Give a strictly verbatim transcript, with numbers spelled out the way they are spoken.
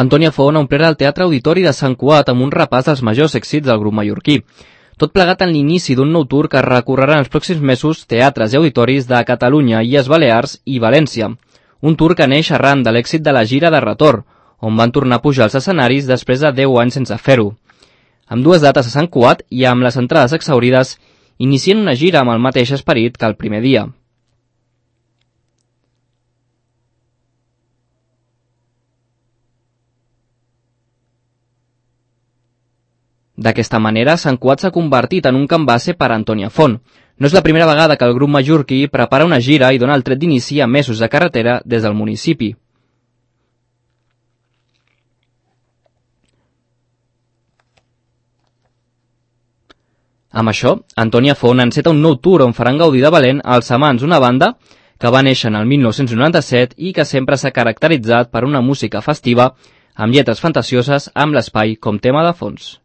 Antònia Font ha omplert el Teatre Auditori de Sant Cugat amb un repàs dels majors èxits del grup mallorquí. Tot plegat en l'inici d'un nou tour que recorrerà en els pròxims mesos teatres i auditoris de Catalunya, Illes Balears i València. Un tour que neix arran de l'èxit de la gira de retorn, on van tornar a pujar als escenaris després de deu anys sense fer-ho. Amb dues dates a Sant Cugat i amb les entrades exhaurides, inicien una gira amb el mateix esperit que el primer dia. D'aquesta manera, Sant Cugat s'ha convertit en un camp base per a Antònia Font. No és la primera vegada que el grup mallorquí prepara una gira i dona el tret d'inici a mesos de carretera des del municipi. Amb això, Antònia Font enceta un nou tour on faran gaudir de valent als Amants, una banda que va néixer en el mil nou-cents noranta-set i que sempre s'ha caracteritzat per una música festiva amb lletres fantasioses amb l'espai com tema de fons.